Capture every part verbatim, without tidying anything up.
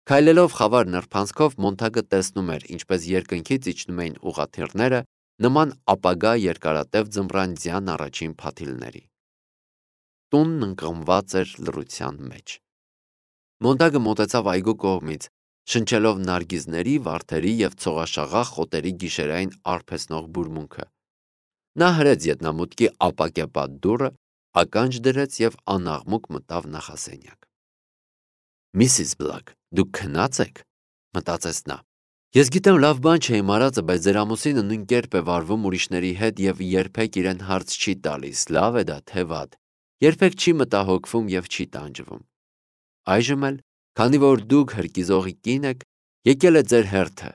Քայլելով խավար նրբանցքով Մոնթագը տեսնում էր, ինչպես երկնքից իջնում էին ուղղաթիռները նման ապագա երկարատև ձմռանձյան առաջին փաթիլների։ Տունն ընկղմված էր լռության մեջ։ Մոնթագը մոտեցավ այգու կողմից, շնչելով նարգիզների, վարդերի և ցողաշաղախ խոտերի գիշերային արբեցնող բուրմունքը։ Նա հրեց ետնամուտքի ապակեպատ դուռը, ականջ դրեց և անաղմուկ մտավ նախասենյակ։ Միսիս Բլակ, դուք քնած եք, մտածեց նա։ Ես գիտեմ լավ բան չէ իմ արածը, բայց ձեր ամուսինը նույն կերպ է վարվում ուրիշների հետ և երբեք իրեն հարց չի տալիս, լավ է դա թե վատ, երբեք չի մտահոգվում և չի տանջվում։ Այժմ էլ, քանի որ դուք հրկիզողի կին եք, եկել է ձեր հերթը,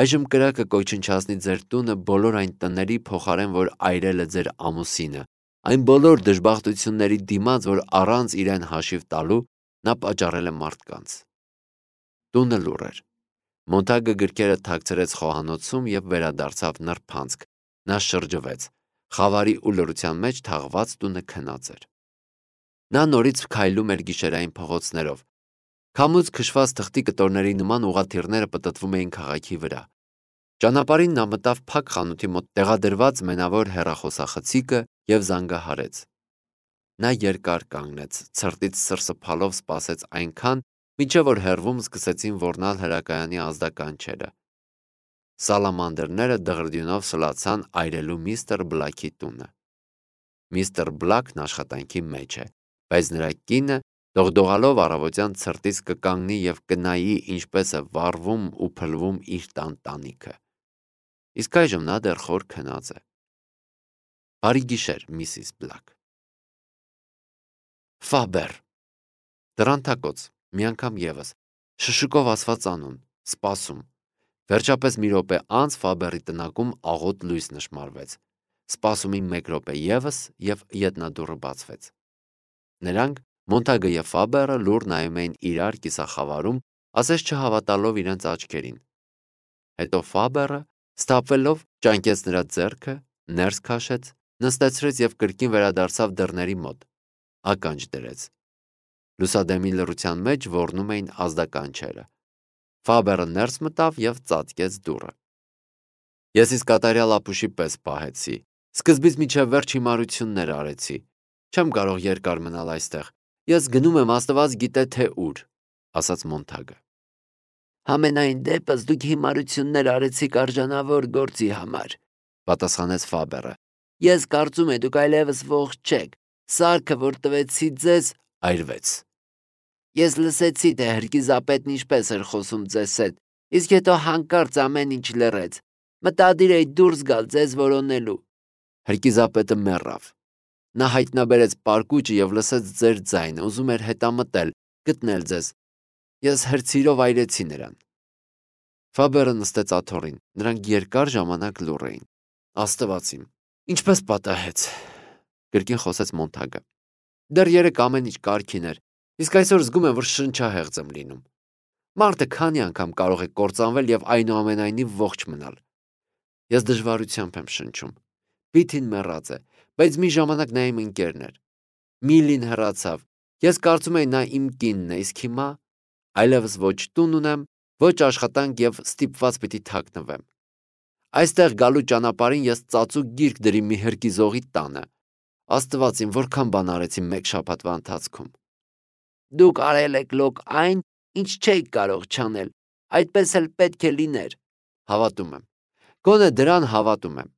այժմ կրակը կոչնչացնի ձեր տունը բոլոր այն տների փոխարեն, որ այրել է ձեր ամուսինը, այն բոլոր դժբախտությունների դիմաց, որ առանց իրեն հաշիվ տալու նա պատճառել է մարդկանց։ Տունը լուռ էր։ Մոնթագը գրքերը թաքցրեց խոհանոցում և վերադարձավ նրբանցք։ Նա շրջվեց։ Խավարի ու լռության մեջ թաղված տունը քնած էր։ Նա նորից քայլում էր գիշերային փողոցներով։ Քամուց քշված թղթի կտորների նման ուղղաթիռները պտտվում էին քաղաքի վրա։ Ճանապարհին նա մտավ փակ խանութի մոտ տեղադրված մենավոր հեռախոսախցիկը և զանգահարեց։ Նա երկար կանգնեց, ցրտից սրսփալով սպասեց այնքան, մինչև որ հեռվում սկսեցին ոռնալ հրակայանի ազդականչերը։ Սալամանդրները դղրդյունով սլացան այրելու միստր Բլաքի տունը։ Միստր Բլաքն աշխատանքի մեջ է, բայց նրա կինը դողդողալով առավոտյան ցրտից կկանգնի և կնայի, ինչպես է վառվում ու փլվում իր տան տանիքը։ Իսկ այժմ նա դեռ խոր քնած է։ Բարի գիշեր, միսիս Բլակ։ Ֆաբեր։ Դրանթակոց, մի անգամ ևս, շշուկով ասված անուն, սպասում։ Վերջապես մի րոպե անց Ֆաբերի տնակում աղոտ լույս նշմարվեց։ Սպասումի մեկ րոպե ևս և ետնադուռը բացվեց։ Նրանք, Մոնթագը և Ֆաբերը, լուռ նայում էին իրար կիսախավարում, ասես չհավատալով իրենց աչքերին։ Հետո Ֆաբերը, սթափվելով, ճանկեց նրա ձեռքը, ներս քաշեց, նստեցրեց և կրկին վերադարձավ դռների մոտ, ականջ դրեց։ Լուսադեմի լռության մեջ ոռնում էին ազդականչերը։ Ֆաբերը ներս մտավ և ծածկեց դուռը։ Ես ինձ կատարյալ ապուշի պես պահեցի, սկզբից մինչև վերջ հիմարություններ արեցի, չեմ կարող երկար մնալ այստեղ, ես գնում եմ Աստված գիտե թե ուր, ասաց Մոնթագը։ Համենայն դեպս դուք հիմարություններ արեցիք արժանավոր գործի համար, պատասխանեց Ֆաբերը։ Ես կարծում եմ դուք այլևս ողջ չեք, սարքը, որ տվեցի ձեզ, այրվեց։ Ես լսեցի, թե հրկիզապետն ինչպես էր խոսում ձեզ հետ, իսկ հետո հանկարծ ամեն ինչ լռեց։ Մտադիր էի դուրս գալ ձեզ որոնելու։ Հրկիզապետը մեռավ։ Նա հայտնաբերեց պարկուճը և լսեց ձեր ձայնը, ուզում էր հետամտել, գտնել ձեզ։ Ես հրցիրով այրեցի նրան։ Ֆաբերը նստեց աթոռին, նրանք երկար ժամանակ լուռ էին։ Աստված իմ, ինչպես պատահեց, կրկին խոսեց Մոնթագը։ Դեռ երեկ ամեն ինչ կարգին էր, իսկ այսօր զգում եմ, որ շնչահեղձ եմ լինում։ Մարդը քանի անգամ կարող է կործանվել և այնուամենայնիվ ողջ մնալ։ Ես դժվարությամբ եմ շնչում։ Պիթին մեռած է, բայց մի ժամանակ նա իմ ընկերն էր։ Միլին հեռացավ։ Ես կարծում էի նա իմ կինն է, իսկ հիմա այլևս ոչ տուն ունեմ, ոչ աշխատանք և ստիպված պիտի թաքնվեմ։ Այստեղ գալու ճանապարհին ես ծածուկ գիրք դրի մի հրկիզողի տանը։ Աստված իմ, որքան բան արեցի մեկ շաբաթվա ընթացքում։ Դուք արել եք լոկ այն, ինչ չէիք կարող չանել, այդպես էլ պետք է լիներ։ Հավատում եմ։ Գոնե դրան հավատում եմ։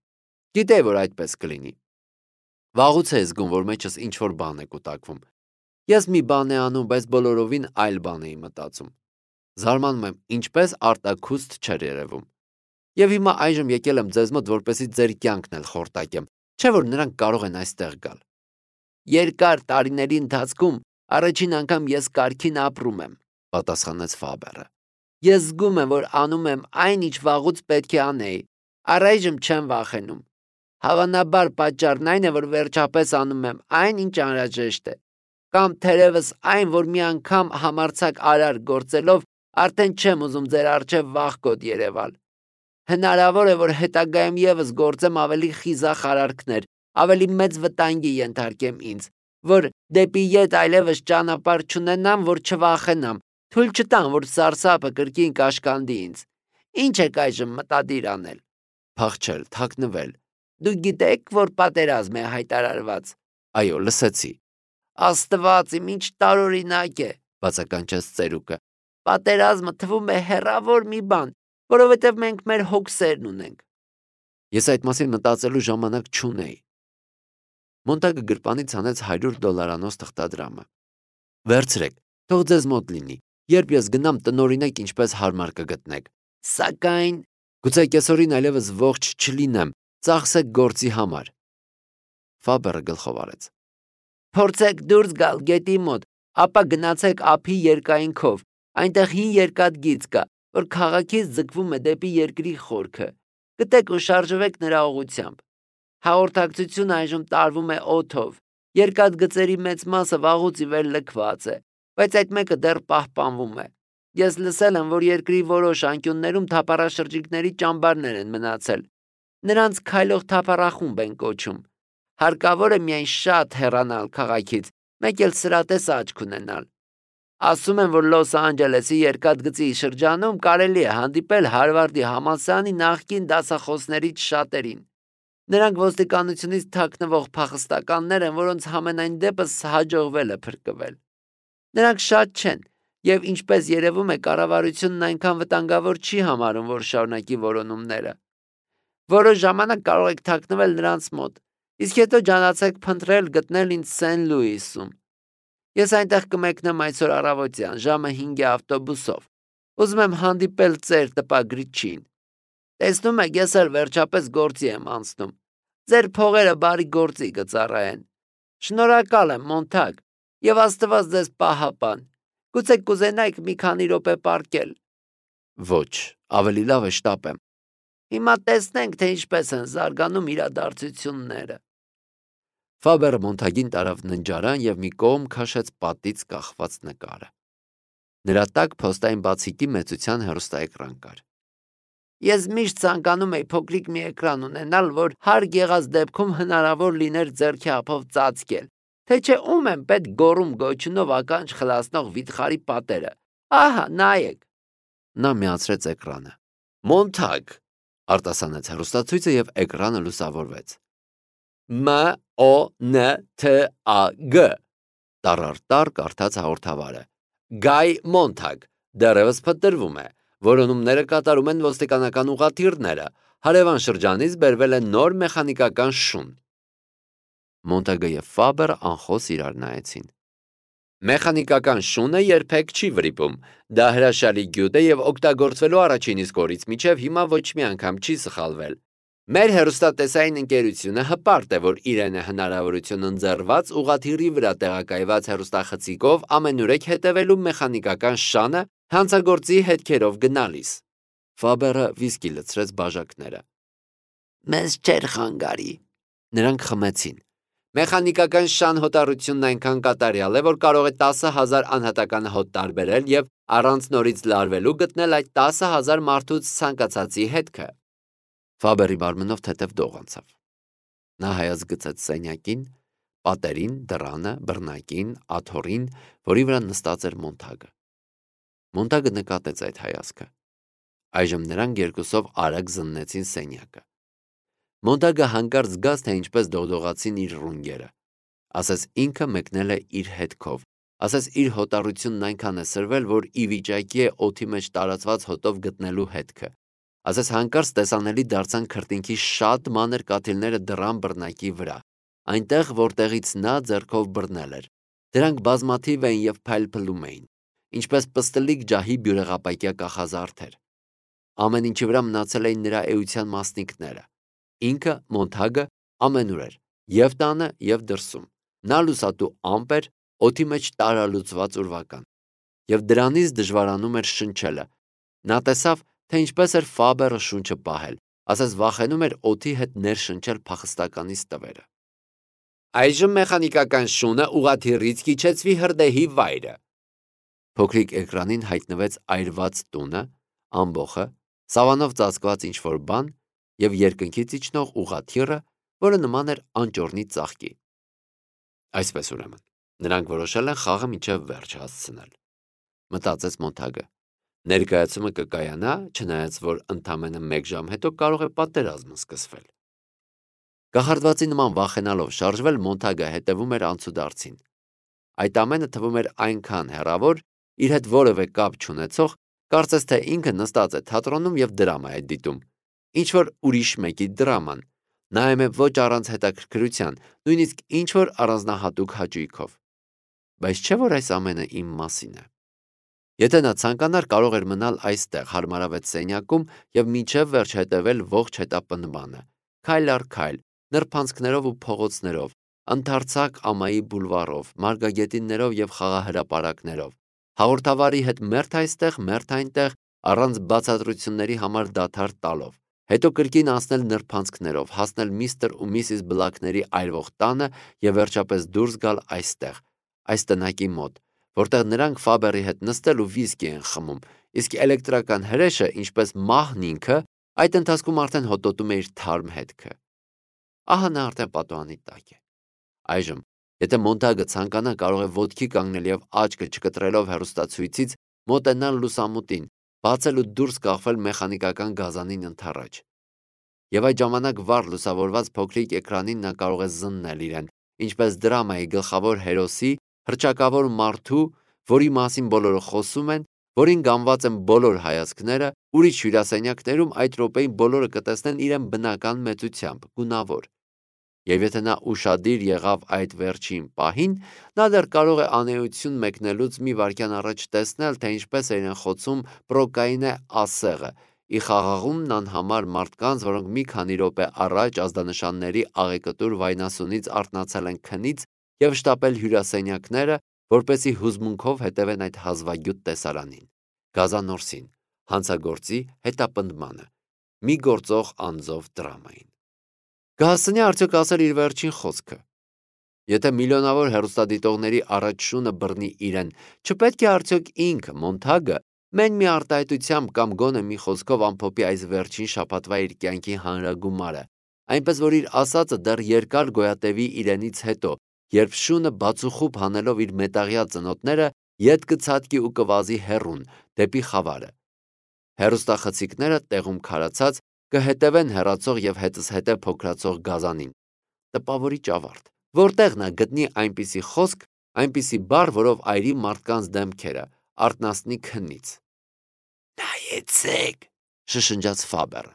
Գիտեի, որ այդպես կլինի։ Վաղուց է զգում, որ մեջս ինչ-որ բան է կուտակվում։ Ես մի բան եմ անում, բայց բոլորովին այլ բան էի մտածում։ Զարմանում եմ, ինչպես արտաքուստ չէր երևում։ Եվ հիմա այժմ եկել եմ ձեզ մոտ, որպեսզի ձեր կյանքն էլ խորտակեմ, չէ՞ որ նրանք կարող են այստեղ գալ։ Երկար տարիների ընթացքում առաջին անգամ ես կարգին ապրում եմ, պատասխանեց Ֆաբերը։ Ես զգում եմ, որ անում եմ այն, ինչ վաղուց պետք է անեի։ Առայժմ չեմ վախենում։ Հավանաբար պատճառն այն է, որ վերջապես անում եմ այն, ինչ անհրաժեշտ է։ Կամ թերևս այն, որ մի անգամ համարձակ արար գործելով արդեն չեմ ուզում ձեր առջև վախկոտ երևալ։ Հնարավոր է, որ հետագայում ևս գործեմ ավելի խիզախ արարքներ, ավելի մեծ վտանգի ենթարկեմ ինձ, որ դեպի ետ այլևս ճանապարհ չունենամ, որ չվախենամ, Թույլ չտան, որ սարսափը կրկին կաշկանդի ինձ։ Ինչ եք այժմ մտադիր անել։ Փախչել, թաքնվել։ Դուք գիտեք, որ պատերազմ է հայտարարված։ Այո, լսեցի։ Աստված իմ ինչ տարօրինակ է, բացականչեց ծերուկը։ Պատերազմը թվում է հեռավոր մի բան, որովհետև մենք մեր հոգսերն ունենք։ Ես այդ մասին մտածելու ժամանակ չունեի։ Մոնտագը գրպանից հանեց հարյուր դոլարանոց թղթադրամը։ Վերցրեք, թող ձեզ մոտ լինի։ Երբ ես գնամ, տնօրինեք ինչպես հարմար կգտնեք։ Սակայն Գուցե կեսօրին այլևս ողջ չլինեմ, ծախսեք գործի համար։ Ֆաբերը գլխով արեց։ փորձեք դուրս գալ գետի մոտ, ապա գնացեք ափի երկայնքով։ Այնտեղ հին երկաթգիծ կա, որ քաղաքից ձգվում է դեպի երկրի խորքը։ Գտեք ու շարժվեք նրա ուղղությամբ։ Հաղորդակցությունը այժմ տարվում է օդով։ Երկաթգծերի մեծ մասը վաղուց ի վեր լքված է, բայց այդ մեկը դեռ պահպանվում է։ Ես լսել եմ, որ երկրի որոշ անկյուններում թափառաշրջիկների ճամբարներ են մնացել։ Նրանց քայլող թափառախումբ են կոչում։ Հարկավոր է միայն շատ հեռանալ քաղաքից, մեկ էլ սրատես աչք ունենալ։ Ասում են, որ Լոս Անջելեսի երկաթգծի շրջանում կարելի է հանդիպել Հարվարդի համալսարանի նախկին դասախոսներից շատերին։ Նրանք ոստիկանությունից թաքնվող փախստականներ են, որոնց համենայն դեպս հաջողվել է փրկվել։ Նրանք շատ չեն, եւ ինչպես երևում է, կառավարությունն այնքան վտանգավոր չի համարում, որ շարունակի որոնումները։ Որոշ ժամանակ կարող եք թաքնվել նրանց մոտ, իսկ հետո ջանացեք փնտրել գտնել ինձ Սեն Լուիսում։ Ես այնտեղ կմեկնեմ այսօր առավոտյան, ժամը հինգի ավտոբուսով։ Ուզում եմ հանդիպել ծեր տպագրիչին։ Տեսնում եք, ես էլ վերջապես գործի եմ անցնում։ Ձեր փողերը բարի գործի կծառայեն։ Շնորհակալ եմ, Մոնտագ, եւ Աստված ձեզ պահապան։ Գուցե կուզենայիք մի քանի րոպե պառկել։ Ոչ, ավելի լավ է շտապեմ։ Հիմա տեսնենք, թե ինչպես են զարգանում իրադարձությունները։ Ֆաբերը Մոնտագին տարավ ննջարան եւ մի կողմ քաշեց պատից կախված նկարը։ Նրա տակ փոստային բացիկի մեծության հեռուստաէկրան կար։ Ես միշտ ցանկանում էի փոքրիկ մի էկրան ունենալ, որ հարկ եղած դեպքում հնարավոր լիներ ձեռքի ափով ծածկել, թե չէ ում են պետք գոռում գոչյունով ականջ խլացնող վիթխարի պատերը։ Ահա, նայեք։ Նա միացրեց էկրանը։ Մոնտագ, արտասանեց հեռուստացույցը եւ էկրանը լուսավորվեց։ M O N T A G Տարարտար կարդաց հաղորդավարը։ Գայ Մոնտագ դեռևս փնտրվում է։ Որոնումները կատարում են ոստիկանական ուղղաթիռները։ Հարևան շրջանից բերվել է նոր մեխանիկական շուն։ Մոնտագը եւ Ֆաբերը անխոս իրար նայեցին։ Մեխանիկական շունը երբեք չի վրիպում։ Դա հրաշալի գյուտ է եւ օգտագործվելու առաջին իսկ օրից մինչեւ հիմա ոչ մի անգամ չի սխալվել։ Մեր հեռուստատեսային ընկերությունը հպարտ է, որ իրեն է հնարավորություն ընձեռված ուղղաթիռի վրա տեղակայված հեռուստախցիկով ամենուրեք հետևելու մեխանիկական շանը հանցագործի հետքերով գնալիս։ Ֆաբերը վիսկի լցրեց բաժակները։ Մեզ չեր խանգարի։ Նրանք խմեցին։ Մեխանիկական շան հոտառությունն այնքան կատարյալ է, որ կարող է տասը հազար անհատական հոտ տարբերել եւ առանց նորից լարվելու գտնել այդ տասը հազար մարդուց ցանկացածի հետքը։ Ֆաբերի մարմնով թեթև դող անցավ։ Նա հայաց գցեց սենյակին, պատերին, դռանը, բռնակին, աթոռին, որի վրա նստած էր Մոնտագը։ Մոնտագը նկատեց այդ հայացքը։ Այժմ նրանք երկուսով արագ զննեցին սենյակը։ Մոնտագը հանկարծ զգաց, թե ինչպես դողդողացին իր ռունգերը։ Ասես ինքը մեկնել է իր հետքով։ Ասես իր հոտառությունն այնքան է սրվել, որ ի վիճակի է օդի մեջ տարածված հոտով գտնելու հետքը։ Ասես հանկարծ տեսանելի դարձան քրտինքի շատ մանր կաթիլները դռան բռնակի վրա, այնտեղ, որտեղից նա ձեռքով բռնել էր։ Դրանք բազմաթիվ էին եւ փայլփլում էին, ինչպես պստլիկ ջահի բյուրեղապակյա կախազարդեր։ Ամեն ինչի վրա մնացել էին նրա էության մասնիկները։ Ինքը Մոնտագը ամենուր էր, եւ տանը, եւ դրսում։ Նա լուսատու ամպ էր, օդի մեջ տարալուծված ուրվական, եւ դրանից դժվարանում էր շնչելը։ Նա տեսավ, թե ինչպես էր Ֆաբերը շունչը պահել, ասես վախենում էր օդի հետ ներշնչել փախստականից տվերը։ Այժմ մեխանիկական շունը ուղղաթիռից կիչեցվի հրդեհի վայրը։ Փոքրիկ էկրանին հայտնվեց այրված տունը, ամբոխը, սավանով ծածկված ինչ-որ բան եւ երկնքից իջնող ուղղաթիռը, որը նման էր անճոռնի ծաղկի։ Այսպես ուրեմն, նրանք որոշել են խաղը մինչև վերջ հասցնել։ մտածեց Մոնթագը։ Ներկայացումը կկայանա, չնայած որ ընդամենը մեկ ժամ հետո կարող է պատերազմը սկսվել։ Կախարդվածի նման վախենալով շարժվել Մոնթագը հետևում էր անցուդարձին։ Այդ ամենը թվում էր այնքան հեռավոր, իր հետ որևէ կապ չունեցող, կարծես թե ինքը նստած է թատրոնում եւ դրամա է դիտում։ Ինչ որ ուրիշ մեկի դրաման, նայում է ոչ առանց հետաքրքրության, նույնիսկ ինչ որ առանձնահատուկ հաճույքով։ Բայց չէ՞ որ այս ամենը իմ մասին է։ Եթե նա ցանկանար, կարող էր մնալ այստեղ հարմարավետ սենյակում եւ մինչեւ վերջ հետևել ողջ հետապնդմանը, քայլ առ քայլ, նրբանցքներով ու փողոցներով, ընդարձակ ամայի բուլվարով, մարգագետիններով եւ խաղահրապարակներով, հաղորդավարի հետ մերթ այստեղ, մերթ այնտեղ, առանց բացատրությունների համար դադար տալով, հետո կրկին անցնել նրբանցքներով, հասնել միստր ու միսիս Բլաքների այրվող տանը եւ վերջապես դուրս գալ այստեղ, այս տնակի մոտ, որտեղ նրանք Ֆաբերի հետ նստել ու վիսկի են խմում, իսկ էլեկտրական հրեշը, ինչպես մահն ինքը, այդ ընթացքում արդեն հոտոտում է իր թարմ հետքը։ Ահա նա արդեն պատուհանի տակ է։ Այժմ, եթե Մոնթագը ցանկանա, կարող է ոտքի կանգնել եւ աչքը չկտրելով հեռուստացույցից մոտենալ լուսամուտին, բացել ու դուրս կախվել մեխանիկական գազանին ընդառաջ։ Եվ այդ ժամանակ վառ լուսավորված փոքրիկ էկրանին նա կարող է զննել իրեն, ինչպես դրամայի գլխավոր հերոսի, հռչակավոր մարդու, որի մասին բոլորը խոսում են, որին գանված են բոլոր հայացքները, ուրիշ հյուրասենյակներում այդ րոպեին բոլորը կտեսնեն իրեն բնական մեծությամբ, գունավոր։ Եվ եթե նա ուշադիր եղավ այդ վերջին պահին, նա դեռ կարող է անեություն մեկնելուց մի վայրկյան առաջ տեսնել, թե ինչպես է իրեն խոցում պրոկայինե ասեղը, ի խաղաղումն անհամար մարդկանց, որոնք մի քանի րոպե առաջ ազդանշանների աղեկտուր վայնասունից արթնացել են քնից եւ շտապել հյուրասենյակները, որպեսզի հուզմունքով հետևեն այդ հազվագյուտ տեսարանին, գազանորսին, հանցագործի հետապնդմանը, մի գործող անձով դրամային։ Կհասցնի արդյոք ասել իր վերջին խոսքը։ Եթե միլիոնավոր հեռուստադիտողների առաջ շունը բռնի իրեն, չպետք է արդյոք ինքը Մոնթագը մեն մի արտահայտությամբ կամ գոնե մի խոսքով ամփոփի այս վերջին շաբաթվա իր կյանքի հանրագումարը, այնպես որ իր ասածը դեռ երկար գոյատևի իրենից հետո, երբ շունը բացուխուբ հանելով իր մետաղյա ծնոտները ետ կցատկի ու կվազի հեռուն դեպի խավարը։ Հեռուստախցիկները տեղում քարացած կհետևեն հեռացող եւ հետզհետե փոքրացող գազանին։ Տպավորիչ ավարտ, որտեղ նա գտնի այնպիսի խոսք, այնպիսի բառ, որով այրի մարդկանց դեմքերը, արթնացնի քնից։ Նայեցեք, շշնջաց Ֆաբերը։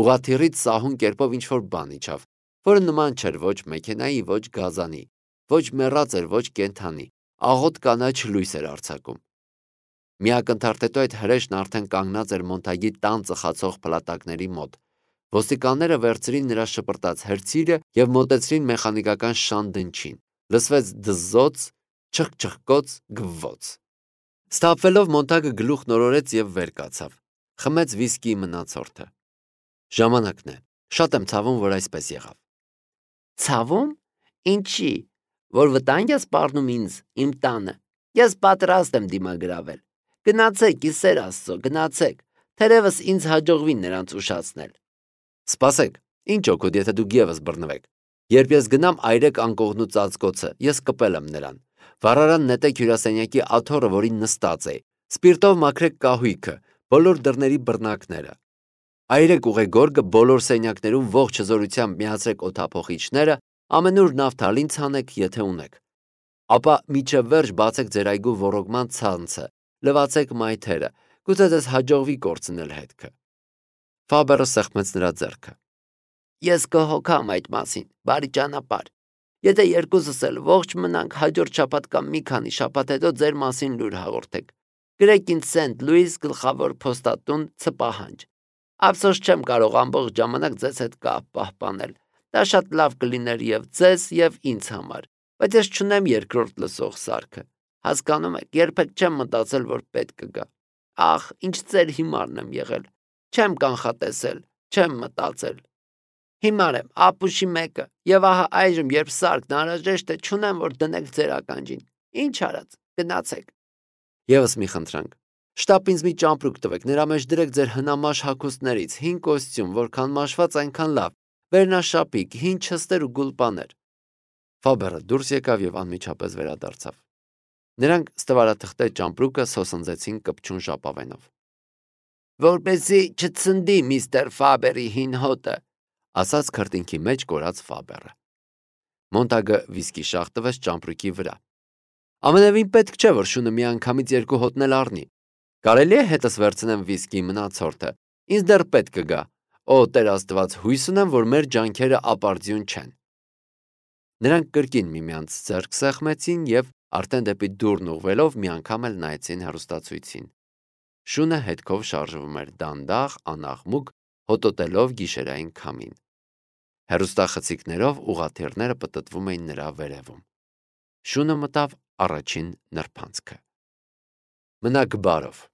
Ուղաթիռից սահուն կերպով ինչ-որ բան իջավ, որը նման չէր ոչ մեքենայի, ոչ գազանի, ոչ մեռած էր, ոչ կենդանի, աղոտ կանաչ լույս էր արձակում։ Մի ակնթարթ հետո այդ հրեշն արդեն կանգնած էր Մոնթագի տան ծխացող փլատակների մոտ։ Ոստիկանները վերցրին նրա շպրտած հրցիրը եւ մոտեցրին մեխանիկական շան դնչին։ Լսվեց դզոց, չխչխկոց, գվվոց։ Ստապվելով Մոնթագը գլուխ նորորեց եւ վեր կացավ։ Խմեց վիսկիի մնացորդը։ Ժամանակն է։ Շատ եմ ցավում, որ այսպես եղավ։ Ցավում։ Ինչի, որ վտանգ ես սպառնում ինձ իմ տանը։ Ես պատրաստ եմ դիմագրավել։ Գնացեք, իսեր Աստծո, գնացեք։ Թերևս ինձ հաջողվի նրանց ուշացնել։ Սպասեք, ինչ օգուտ, եթե դուք եւս բռնվեք։ Երբ ես գնամ այրեք անկողնու ծածկոցը, ես կպել եմ նրան։ Վառարան նետեք հյուրասենյակի աթոռը, որին նստած է։ Սպիրտով մաքրեք կահույքը, բոլոր դռների բռնակները։ Այրեք ուղեգորգը բոլոր սենյակներում ողջ հզորությամբ միացրեք օդափոխիչները, ամենուր նավթալին ցանեք, եթե ունեք։ Ապա միջև վերջ բացեք ձեր այգու ոռոգման ցանցը, լվացեք մայթերը, գուցե ձեզ հաջողվի կորցնել հետքը։ Ֆաբերը սեղմեց նրա ձեռքը։ Ես կհոգամ այդ մասին, բարի ճանապարհ։ Եթե երկուսս էլ ողջ մնանք, հաջորդ շաբաթ կամ մի քանի շաբաթ հետո ձեր մասին լուր հաղորդեք։ Գրեք ինձ Սենթ Լուիս գլխավոր փոստատուն Ցպահանջ։ Ափսոս չեմ կարող ամբողջ ժամանակ ձեզ հետ կապ պահպանել։ Դա շատ լավ կլիներ եւ ձեզ եւ ինձ համար, բայց ես չունեմ երկրորդ լսող սարքը։ Հասկանում եք, երբեք չեմ մտածել, որ պետք կգա։ Ախ, ինչ ծեր հիմարն եմ եղել։ Չեմ կանխատեսել, չեմ մտածել։ Հիմար եմ, ապուշի մեկը, եւ ահա այժմ, երբ սարքն անհրաժեշտ է, չունեմ, որ դնեք ձեր ականջին։ Ինչ արած, գնացեք։ Եվս մի խնդրանք։ Շտապ ինձ մի ճամպրուկ տվեք, նրա մեջ դրեք ձեր հնամաշ հագուստներից, հին կոստյում, որքան մաշված այնքան լավ, վերնաշապիկ, հին չստեր ու գուլպաներ։ Ֆաբերը դուրս եկավ եւ անմիջապես վերադարձավ։ Նրանք ստվարաթղթե ճամպրուկը սոսնձեցին կպչուն ժապավենով։ Որպեսզի չցնդի միստր Ֆաբերի հին հոտը, ասաց քրտինքի մեջ կորած Ֆաբերը։ Մոնտագը վիսկի շաղ տվեց ճամպրուկի վրա։ Ամենևին պետք չէ, որ շունը միանգամից երկու հոտնել առնի։ Կարելի է հետս վերցնեմ վիսկի մնացորդը։ Ինձ դեռ պետք կգա։ Օ, Տեր Աստված, հույս ունեմ, որ մեր ջանքերը ապարդյուն չեն։ Նրանք կրկին միմյանց ձեռք սեղմեցին եւ արդեն դեպի դուռն ուղղվելով մի անգամ էլ նայեցին հեռուստացույցին։ Շունը հետքով շարժվում էր դանդաղ, անաղմուկ, հոտոտելով գիշերային քամին։ Հեռուստախցիկներով ուղաթիռները պտտվում էին նրա վերևում։ Շունը մտավ առաջին նրբանցքը։ Մնաք բարով։